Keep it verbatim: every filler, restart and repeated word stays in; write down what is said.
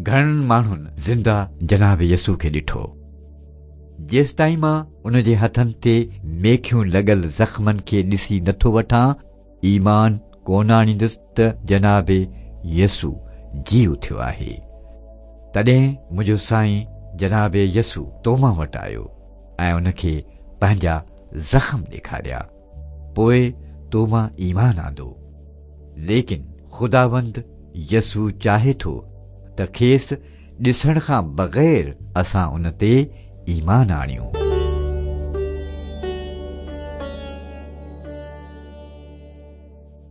گهڻن ماڻهن زنده جناب يسوع کي ڏٺو. جيستائين مان ان جي هٿن تي ميکيون لڳل زخمن کي ڏسي نٿو وٺان، ايمان ڪونه آڻيندس ته جناب يسوع جي اٿيو آهي. تڏهن منهنجو سائين جناب يسوع توما وٽ آيو ۽ ان کي پنهنجا زخم ڏيکاريا. پوءِ توما ايمان آندو. ليڪن خداوند يسوع چاهي ٿو ته کيس ڏسڻ کان بغير اسان ان تي ايمان آڻيون.